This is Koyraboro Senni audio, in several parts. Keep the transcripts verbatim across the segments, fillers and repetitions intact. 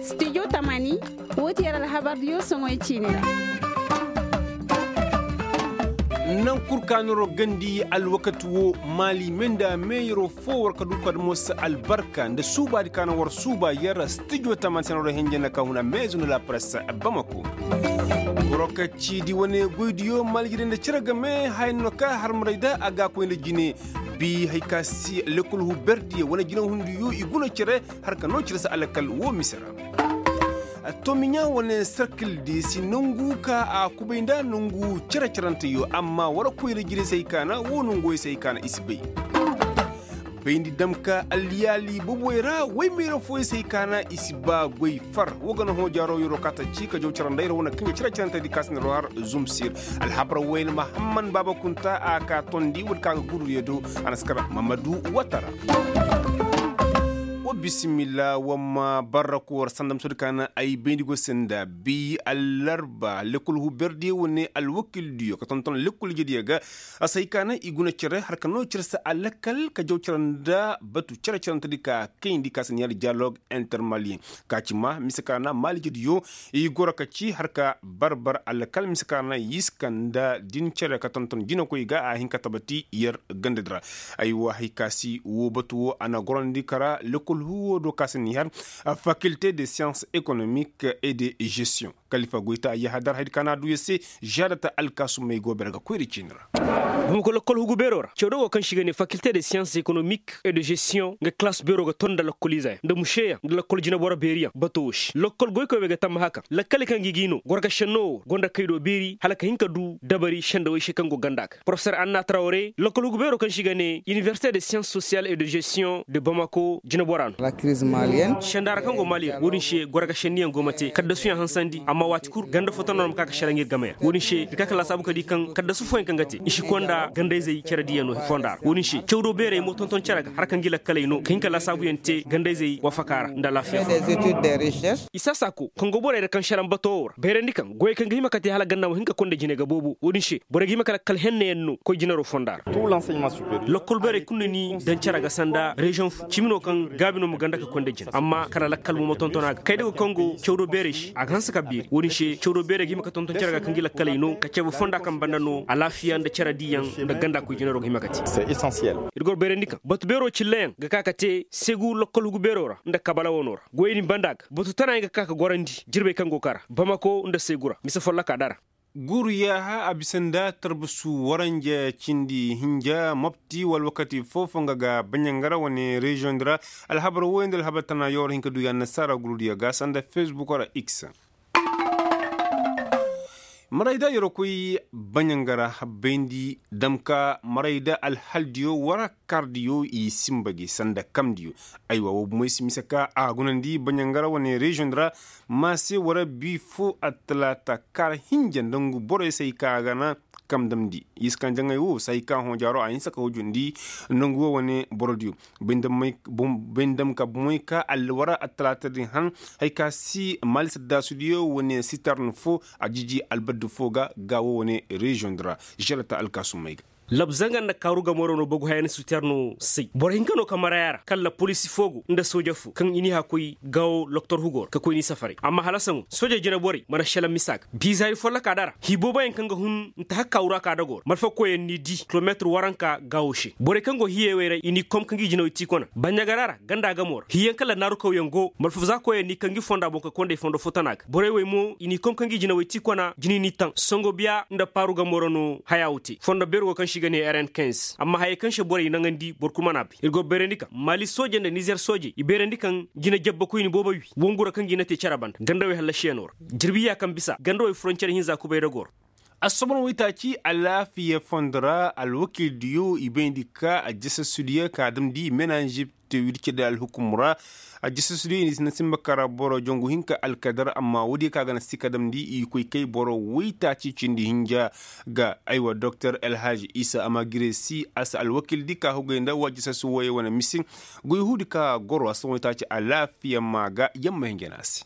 Studio tamani, woo ti yer alhabardiyo soŋoy ciini ra. Naŋ kul ka noro gandi alwakati woo, maali me nda meeyaroo foo war ka du ka dumo si albarka nda suubaadi ka na war suuba yer. Studio tamani se na war hinja nda ka huna meezu nda la presse bamako. Boro ka ciidi wane goydiyo maali jire nda cere game haya no ka harmaray da a ga a koy nda jine. Bi hari ka si lekol huberdiyo wane jinehundiyo i guna cere, har ka noo cere se alakal woo mise ra. Tomiɲa wane serkildi si nongu ka a kubay nda nongu cere-ceranteyo amma war koyra jire se hay ka na woo nonguwey se hay ka na i si bay. Bayndi dam ka alliyaali boboy ra woy meera fooyey se hay ka na i si ba goy far woo ga na hõ jaaro yeroo ka ta ci ka jaw carandey ra wane kaŋ ga cere-cerantedi ka si na roo har zumsir. Alhabar woyne mahamman baaba kunta a ka tondi woodi ka ga gurudiyo do. A na si kar mamadu watara. Wa bisimilla wa ma barra ka war sanda misoodi ka na ay bayndi go se nda bi allarba lekol huberdiyo wane alwakildiyo ka tonton lekol ijediyo ga. A si hay ka na i guna cere har ka noo cere se alakal ka jaw cere nda batu cere-cerantedi ka kayndi ka si na yaadi dialogue intermaliyen. Ka ci ma mise ka na maali jediyo i goro ka ci har ka barbar alkal mise ka na yiska nda din cere ka tonton jinakoy ga a hin ka tabati yer gandadi ra. Aywa hay ka si woo batu woo a na gorandi kara lekol huwo do ka si na yer fakilte de science économique et de gestion kalifa goyta yahadar haydi ka na a du yer se. Žaadata alkaasumey go bere ga koyri ciini ra. Bamako lakkol hugu beeroo ra cawdo go kaŋ se i ga ne fakilte de science économique et de gestion nga kalaas beeroo ga ton nda lakkol izeyaŋ nda mušeyaŋ nda lakkol jineboro beeriyaŋ bato woo se lakkol goykoy wey ga tammaha kaŋ lakkaley kaŋ ga i g'i no gorga šennoo woo gonda kay do beeri hala ka hin ka du dabari sendawey se kaŋ go ganda ga porofeser anna trawre lakkol hugu beeroo kaŋ se i ga ne iniversite de science sociale et de gestion de bamako jinebora no. Sendaara kaŋ go maali ra woodin se gorga šenniyaŋ go ma te kaddasuyaŋ hansandi amma waati kul ganda fo tana no ma ka ga šelaŋ ir game ra woodin se ir ka ka laasaabu ka di kaŋ kaddasu fooyaŋ kaŋ ga te i si konda gandayzey cere diyaŋ no fonda ra woodin se cawdo beerey mo tonton cere ga har kaŋ gi lakkaley no ka hin ka laasaabuyaŋ te gandayzey wafaka ra nda alaafiya fo. I saasa ko kaŋ go borey ra kaŋ šelaŋ bato woo ra bayrandi kaŋ goyey kaŋ ga hima ka te hala ganda ma hin ka konda jine ga boobo woodin se borey ga hima ka lakkal hennayaŋ no koy jinaroo fonda ra. Lakkol beerey kul na ni daŋ cere ga sanda reziyoŋ fo cimi no kaŋ gaabi no ma ganda ka konda jine amma kala lakkal mo ma tonton a ga kay day go kaŋ go cawdo beerey se a ga hanse ka beeri woodin se cawdo beerey ga hima ka tonton cere ga kaŋ gi lakkaley no ka cabe fonda kaŋ banda no alaafiya nda cere diiyaŋ nda ganda koy jinaroo ga hima ka te. Ir go bayrandi kaŋ batu beeroo cilleyaŋ ga ka ka te segu lakkol hugu beeroo ra nda kabala wanoo ra goyey din banda ga batu tanayaŋ ga ka ka gorandi jirbey kaŋ go kara bamako nda segu ra mise folloka dara. Guuru yaaha a bisa nda tarbasu waranja cindi hinja mopti wala wakati foo-foo nga ga baɲangara wane reziyoŋ di ra. Alhabar wooyaŋ nda alhabar tana yoo war hin ka du ya annasaara gurudiyo ga sanda fesbuk ra x. Marayda yeroo koy baɲangara bayndi damka marayda alhaldiyo wara kardiyo i sinba gi sanda kamdiyo. Aywa woo bumoy si mise ka a gunandi baɲangara wane reziyoŋ di ra. Maase wara bi foo attalaata kaara hinja nda ngu borey se hay ka a ga na kam damndi i si kaŋ jaŋay woo se hay ka hõ jaaroo a hinsa ka hujundi nda ngu woo wane borodiyo. Bay nda may ka bumoy ka alwara attalaata din han. Hay ka si maali saddaasudiyo wane sitern foo a jiji albaddu foo ga ga woo wane reziyoŋ di ra želata alkaasumey ga. Labzanga nda kaaru gamooro no bagu haya ni suterno say boro hinka no ka maraya ra kala poliisi foo go nda sooja foo kaŋ i n'i hã koy gaawo loktor hugo ra ka koy n'i safaray amma hala saŋo soojey jinaborey mana šelaŋ misa ga biizaari follokaa d'a ra hii booboyaŋ kaŋ ga hun nta hala kaaru ra ka dagoo ra malfakoyaŋ n'i dii kilomeetir waranka gaawo se borey kaŋ go hiyeewey ra i n'i kom ka ngi jinawey ti kona baɲagara ra ganda gamo ra hiiyaŋ kala naarukawyaŋ go malfazaakoyaŋ n'i ka ngi fonda boŋ ka kondey fondo fo tana ga borey wey mo i n'i kom ka ngi jinawey ti kona jini n'i taŋ songo biya nda paaru gamo ra no haya wo te fondo beeri wo kaŋ se i ga ne rn kinze amma hayey kaŋ se borey naŋandi boro kul mana a bay ir go bayrandi kaŋ maali soojey nda nizer soojey i bayrandi kaŋ jina jabbakoyni boobo wi wongu ra kaŋ ga i na te care banda gandawey hallasiyanoo ra jirbi ya kaŋ bisa gandawey frontiyer hinza kubay dagoo ra. Assobon waytaaci alaafiya fondo ra alwakiildiyo i bayndi ka ajasasudiyo ka damndi menanžib te wircidi alhukum ra. Ajasasudiyo i na sinba kara boro jongu hinka alkadar amma woodiyo ka ga na si ka damndi i koy kay boro waytaaci cindi hinja ga aywa doktor elhaj isa amagiresi a si alwakiildi ka hugay nda wa ajasasu wooyey wane mise. Goy huudi ka goro assobon waytaaci alaafiya ma ga yamma hinja no a se.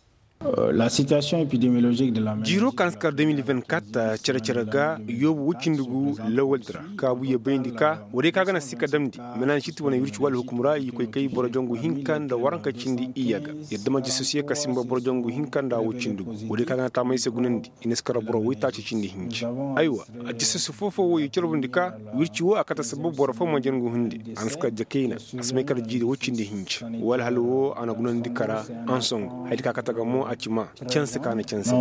La sitiyasiyoŋ epidemiyolozik de la jiiroo ka hanse kar de mil vingt-kat cere-cere ga yoobu woy cindi gu lawaldi ra kaabu yee bayndi ka woodiyo kaŋ a ga naŋ si ka damndi menansit wane wirci wala hukum ra i koy kay boro jangu hinka nda waranka cindi iyye ga. Yadda ma jisosiyo ka simba boro jangu hinka nda woy cindi gu woodiyo kaŋ a ga naŋ taamay se gunandi i na si kar boro woytaaci cindi hinci. Aywa, a jisosi foo-foo wo i carbundi ka wirci wo a kate sabab boro foo ma jangu hundi. A na si kar jakayna a si may kar jiiri woy cindi hinci. Walhal wo a na gunandi kara ansongo haydi ka kate ga mo a ci ma canse ka na canse.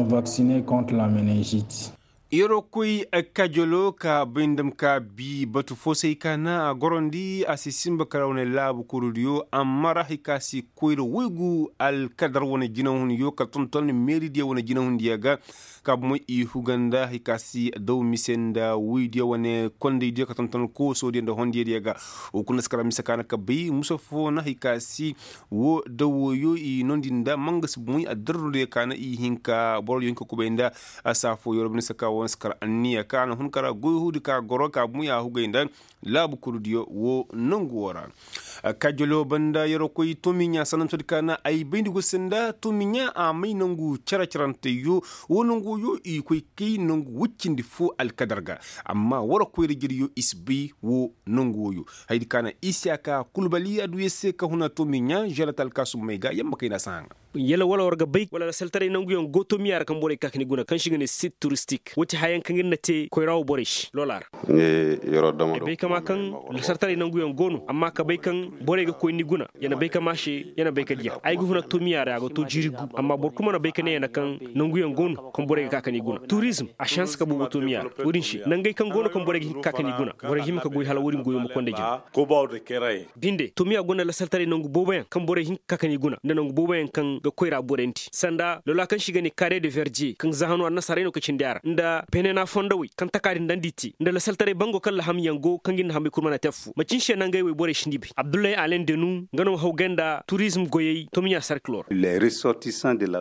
Yeroo koy kajoloo ka bay nda ma ka bii batu foo se hay ka naŋ a gorandi a si sinba kara wane laabu kurudiyo amma ra hay ka si koyra waygu alkadar wane jinahunyo ka tonton meeridiyo wane jinahundiyo ga. Ka bomoy i huga nda hay ka si daw mise nda woydiyo wane kondaydiyo ka tonton koosoodiyo nda hondiyadiyo ga. Woo kulu na si kara mise ka na ka bay musa foo na hay ka si woo dawooyo i noondi nda mangasi bomoy addarrudiyo ka na i hin ka borodiyo hin ka kubay nda. Saafooyo ra bine se ka woo na si kara anniya ka a na hun kara goy huudi ka goro ka bomoy a hugay nda laabu kurudiyo woo nongu woo ra. Kajoloo banda yeroo koy tomiɲaa sanantoodi ka na ay bayndi go se nda tomiɲaa a may nongu cere-ceranteyyo. Woo nongu wooyo i koy kay nongu woy cindi foo alkadar ga. Amma war koyra jiryo i si bay woo nongu wooyo. Haydi ka na isiyaka kulbali adduya se ka huna tomiɲaa želat alkaasummey ga yamma kayna si haŋa. Yala wala war ga bay wala lasaltaray nanguyaŋ go tomiya ra kaŋ borey ka ka ni guna kaŋ se i ga ne sit turistik woo ti hayaŋ kaŋ ir na te koyra wo borey se loola ra. Ay bay kama kaŋ lasaltaray nanguyaŋ go no amma ka bay kaŋ borey ga koy ni guna ya na bay kama se ya na bay ka diya ay ga huna tomiya ra a ga to jiiri gu. Amma boro kulu mana bay ka ne ya na kaŋ nanguyaŋ go no kaŋ borey ga ka ka ni guna turizm a se hanse ka boobo tomiya ra. Wo-din se nangey kaŋ go no kaŋ borey ga hin ka ka ka ni guna borey ga hima ka goy hala wo-din goyo ma konda jina. Binde tomiya gonda lasaltaray nangu booboyaŋ kaŋ borey hin ka ka ka ni guna nda nangu booboyaŋ kaŋ ga koyra borandi sanda lola kaŋ se i ga ne kare de verdiye kaŋ za hano annasaarey no ka cindi a ra nda penena fondowey kaŋ taka din daŋ da i te nda lasaltaray bango kaŋ lahamyaŋ go kaŋ ga ni na hamey kulu mana te affoo macin se nangey wey borey si ni bay abdullahi alen denu nga no ma hawgay nda turizm goyey tomiya sarkiloo ra.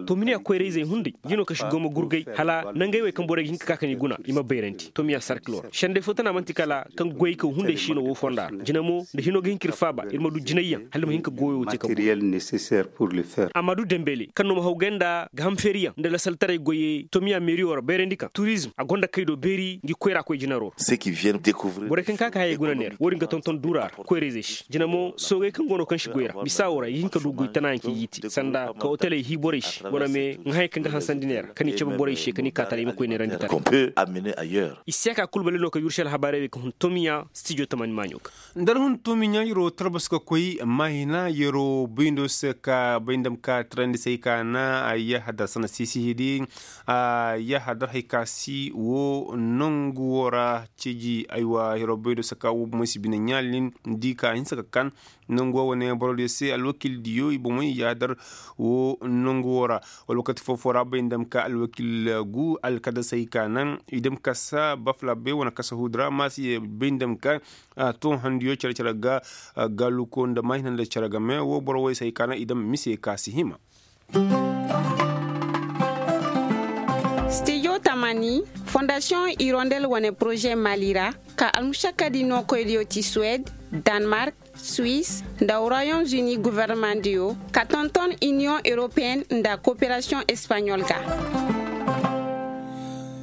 Tomiya koyra-izey hunday ngi no kaŋ si go ma gurgay hala nangey wey kaŋ borey ga hin ka ka ka ni guna i ma bayrandi tomiya sarkiloo ra sendey foo tana man'ti kala kaŋ goyey kaw hunday se i no woo fonda ra jina mo nda hino ga hin ka ir faaba ir ma du jinayyaŋ hala ir ma hin ka goyo te ka guna. Amma du dembele kaŋ no ma hawgay nda ga ham feeriyaŋ nda lasaltaray goyey tomiya meeriyo ra bayrandi kaŋ turizm a gonda kay do beeri ngi koyra koy jinaroo ra. Borey kaŋ ka ka hayey guna neera wo-din ga tonton duura ra koyra-izey se jina mo soogey kaŋ go no kaŋ si goy ra misa wo ra i hin ka du goy tanayaŋ kaŋ i ga i te sanda ka oteley hii borey se wala me ŋahayey kaŋ ga hansandi neera ka ni cabe borey se ka ni kaataray i ma koy neerandi taray. Isiyaka kulbali no ka yursi alhabaarey wey ka hun tomiya stijo tamani maaɲo ga. Nda ar hun tomiya yeroo tarbas ka koy maahina yeroo bayndo se ka bay nda ma ka tirandi se ay ka na a yahadar sana sisihidi a yahadar hay ka si woo nongu woo ra ceeji aywa yeroo bayndo se ka woo bomoy si bine ɲaalin di ka hinsa ka kan. Nangu woo wane borodiyo se alwakildiyo i bomoy i yahadar woo nangu woo ra. Wala wakati foo-foo ra bay nda ma ka alwakil gu alkadasey ka naŋ i dam kasa bafla bay wane kasa huudi ra ma si bay nda ma ka. Toohandiyo cere-cere ga gaaluko nda maahina nda cere game woo boro woy se hay ka naŋ i dam mise ka si hima. Stijo tamani fondasiyoŋ irondel wane poroze mali ra ka almušakkadi nookoydiyo ti suwed, danmark, suwis, nda royaume-uni gofornamaŋdiyo ka tonton iniyoŋ europeyen nda kooperasiyoŋ espaɲol ga.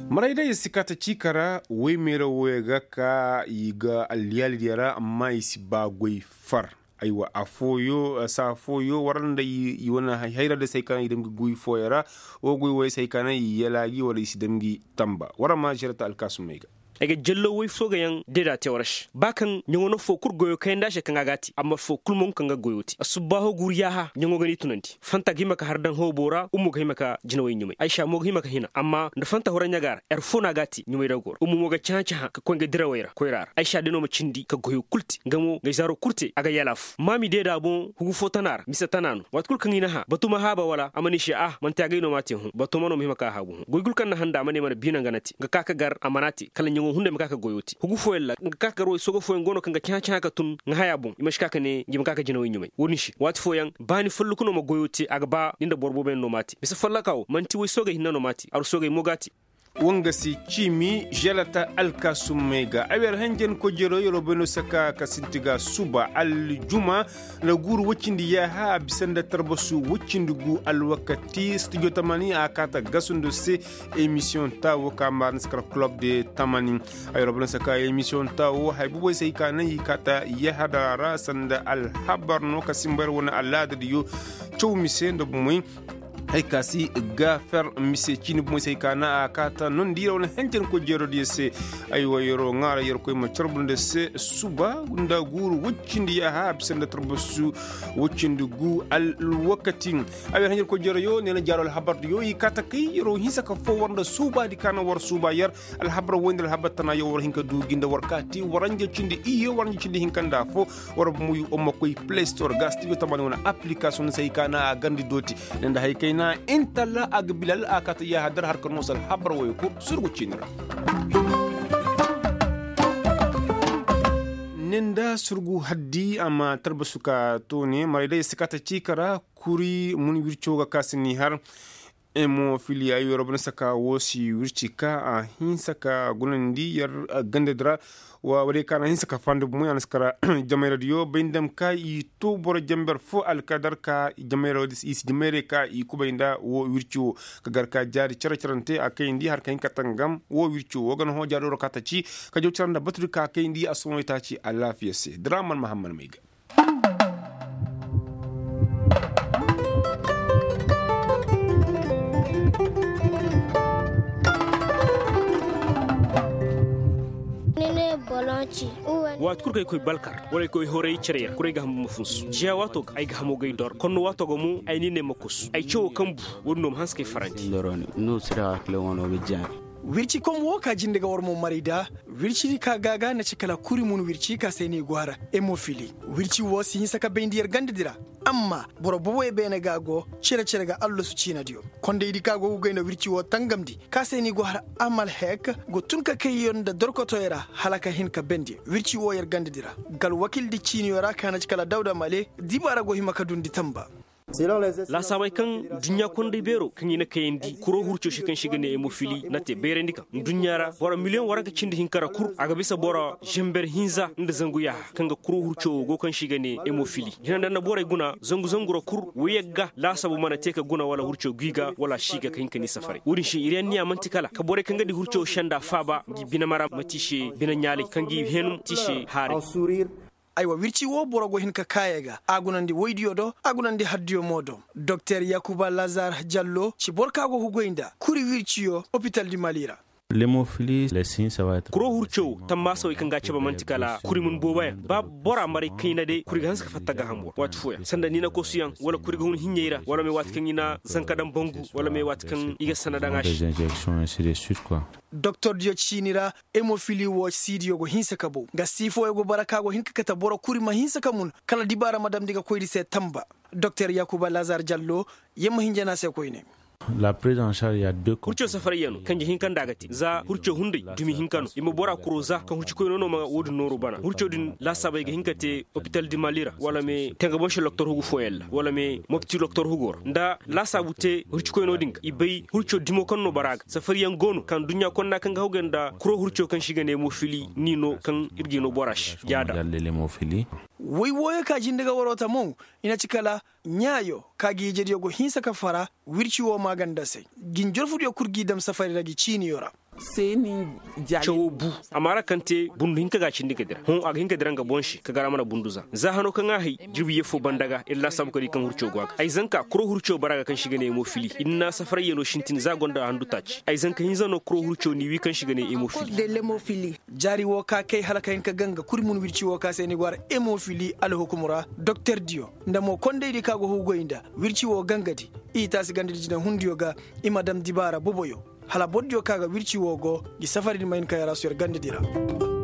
Maray day si kaata ciika ra woy meera wooyo ga ka i ga alliyaalidiyo ra amma i si ba goy far. Aywa afooyo saa fooyo war nda i wane hayra da se ay ka naŋ i dam ga goy fooyo ra. Woo goy wooyo se ay ka naŋ i yalaa gi wala i si dam gi tamba war ma žerata alkaasumey ga. Ay ga jallo woy fooga yaŋ deeda te war se ba kaŋ ɲaŋo no foo kul goyo kayandi a se kaŋ a ga a te amma foo kul mo nga kaŋ ga goyo te a subbaaho guuru yaaha ɲaŋo ga ni tunandi. Fanta ga hima ka har daŋ hoobo ra ummo ga hima ka jinawey ɲumay aysa mo ga hima ka hina amma nda fanta hura ɲaga ra. Yar foo no a ga a te ɲumay dago ra ummo mo ga cahã-cahã ka koy nga dirawey ra koyra ra aysa day no ma cindi ka goyo kul te nga mo nga ay zaaro kul te a ga yalaafu maami deeda boŋ hugu foo tana ra mise tana no waati kul kaŋ i na hã batu ma haaba wala a ma ne i se ah man'ti agay no m'a te hõ batu ma no ma hima ka haabu hõ goy kul kaŋ na handa a ma ne mana biina nga na te nga ka ka gar a mana te kala ɲaŋo hunday ma ka ka goyo te hugu fooyaŋ ra nga ka ka gar way sooga fooyaŋ go no kaŋ ga cahã-cahã ka tun nga haya boŋ i ma si ka ka ne ngi ma ka ka jinawey ɲumay wo-din se waati fooyaŋ baani folloku no ma goyo te a ga ba ni nda boro booboyaŋ no m'a te mise follaka wo man'ti way soogey hinne no m'a te aru soogey mo g'a te. Wanga se ciimi želata alkaasummey ga ay wer hanjankoy jeroo yeroo bay no saka ka sinti ga suba aljuma nda guuru woy cindi yaaha a bisa nda tarbasu woy cindi gu alwakati studio tamani a kaata gasundo se. Emisiyoŋ taawo ka maarandi se kala kulob de tamani. Ay wer bay no saka emisiyoŋ taawo hay boboy se ay ka naŋ i kaata yaaha dara ra sanda alhabar no ka simba yer wane alaadadiyo caw mise nda bomey. Hay ka si gaafer mise ciini bomoy se hay ka na a kaata nondi yer wane hentenkoy jeerodiyo se. Ay wa yeroo ŋaara yerkoy ma carbu nda se suba nda guuru woy cindi yaaha a bisa nda tarbasu woy cindi gu alwakati. Ay wer hentenkoy jeeroyo nee na jaaroo alhabardiyo i kaata kay yeroo hinsa ka foo war nda suubaadi ka na war suuba yer. Alhabar woy nda alhabar tana yo war hin ka du gi nda war kaati waranja cindi iyye waranja cindi hinka nda affoo. War bumu yu umma koy play store ga studio tamani wane application se hay ka na a gandi dooti. Ne nda hay kayna intalla a ga bilal a kaata yaaha dar har ka noosa alhabar woy kul surgu ciini ra. Ne nda surgu haddi a ma tarbasu ka toone maray day si kaata ciika ra. Kuri mun wirco ga ka si ni har. Emofili ay wero bana saka wo si wirci ka a hinsa ka gunandi yer gandadi ra. Wa wala ka na hinsa ka fanda bumo ya na si kara. Jamayradiyo bay nda ma ka i to boro jamber fo alkadar ka jamayra i si jamayra ka i kubay nda wo wirci wo ka gar ka jaari care carante a kayandi har ka hin ka tangam wo wirci wo ga na hõ jaari woro ka ta ci ka jaw care nda baturi ka kayandi a sohõ i ta ci alaafiya se draman mahammad may ga. Waati kul kaŋ ay koy balkar wala ay koy horay care ra kul ay ga hamo ma funsu jiya waato ga ay ga hamo ga ay dor konno waato ga mo ay ni ne ma kusu ay cawo kaŋ bu. Wo- din no ma hanse kay faranti. Wirci kom wo ka jinde ga war mo maray da. Wirci di ka ga ga na ci kala kuri mun wirci ka se ni go hara. Emofili wirci wo si hinsa ka bayndi yer ganda di ra. Amma boro boboy beene ga go cere cere ga allasu ciina diyo. Konday di ka go ga goy nda wirci wo tangamndi ka se ni go hara. Amal hek go tun ka kay yer nda dorkotoy ra hala ka hin ka bayndi wirci wo yer ganda di ra. Gal wakil di ciiniyo ra ka na ci kala dawda male dibaara go hima ka dundi tamba. Laasaabey kaŋ duɲɲa konday beero kaŋ i na kayandi kuro hurco se kaŋ se i ga ne emofili na te bayrandi kaŋ duɲɲa ra boro miliyoŋ waranka cindi hinka ra kul a ga bisa boro zember hinza nda zangu yaaha kaŋ ga kuro hurco wo go kaŋ se i ga ne emofili hina nda nda borey guna zangu zangu ra kul woyey ga laasaabu mana te ka guna wala hurco guy ga wala si ga ka hin ka ni safaray wo- din se iri anniya man'ti kala ka borey kaŋ ga di hurco senda faaba ngi binamara ma te i se binaɲaalay kaŋ gi henu te i se haaray. Aywa wirci wo boro go hin ka kaayey ga a gunandi woydiyo do a gunandi hardiyo mo do. Doktor yakuba lazar jallo ci boro ka go ga goy nda kuri wirciyo opital di mali ra. Kuro hurco wo tammaasawey kaŋ ga a cabe man'ti kala kuri mun booboyaŋ ba bora maray kayna day kuri ga hanse ka fatta gaaham boro waati fooyaŋ sanda niina kosuyaŋ wala kuri ga hun hiɲey ra wala me waati kaŋ i na zanka daŋ bangu wala me waati kaŋ i ga sanda daŋ a se. Doktor diyo ciini ra. Emofili wo siidiyo go hinse ka bow nga siifooyo go bara ka go hin ka kate boro kuri ma hinse ka mun kala dibaara ma damndi ga koyndi se tamba. Doktor yakuba lazar jallo yer ma hinja no a se koyne. Hurco safarayyaŋo kanje hinka nda a ga te za hurco hunday dumi hinka no i ma bora kuro za kaŋ hurcikoyno no ma wo- din nooru bana hurco din laasaabey ga hin ka te opital di mali ra wala me tangabonse loktor hugu fooyaŋ ra wala me mopti loktor hugo ra nda laasaabu te hurcikoyno din ga i bay hurco dimo kaŋ no bara ga safariyaŋ go no kaŋ duɲɲa konna kaŋ ga hawgay nda kuro hurco kaŋ se i ga ne mo fili ni no kaŋ ir ga i no bora se jaada. Woy wooyo ka jinde ga waroo ta mo i na ci kala ɲaayo ka gi ijediyo go hinsa ka fara wirci woo maaganda se gi njorfudiyo kul g'i dam safari ra gi ciiniyo ra. Cawoo bu. Amma ra kaŋ te bundu hinka ga a cindi ga dira hõ a ga hin ka dira nga boŋ se ka gar a mana bundu za za hano kaŋ a hay jirbi yeffoo banda ga ir laasaabu ka di kaŋ hurco go a ga ay zanka kuro hurco bara ga kaŋ se i ga ne hemofili i na safarayyanoo sintin za gonda handu taaci ay zanka hinza no kuro hurco n'i wi kaŋ se i ga ne hemofili. Jaari woo ka kay hala ka hin ka ganga kuri mun wirci woo ka se ni go har hemofili alhukum ra doktor diyo nda mo kondaydi ka go hugoy nda wirci woo gangadi i taasi gandadi jinahundiyo ga i ma dam dibaara boboyo hala bordiyo ka ga wirci woo go ngi safari ni ma hin ka yaraasu yer gandadi ra.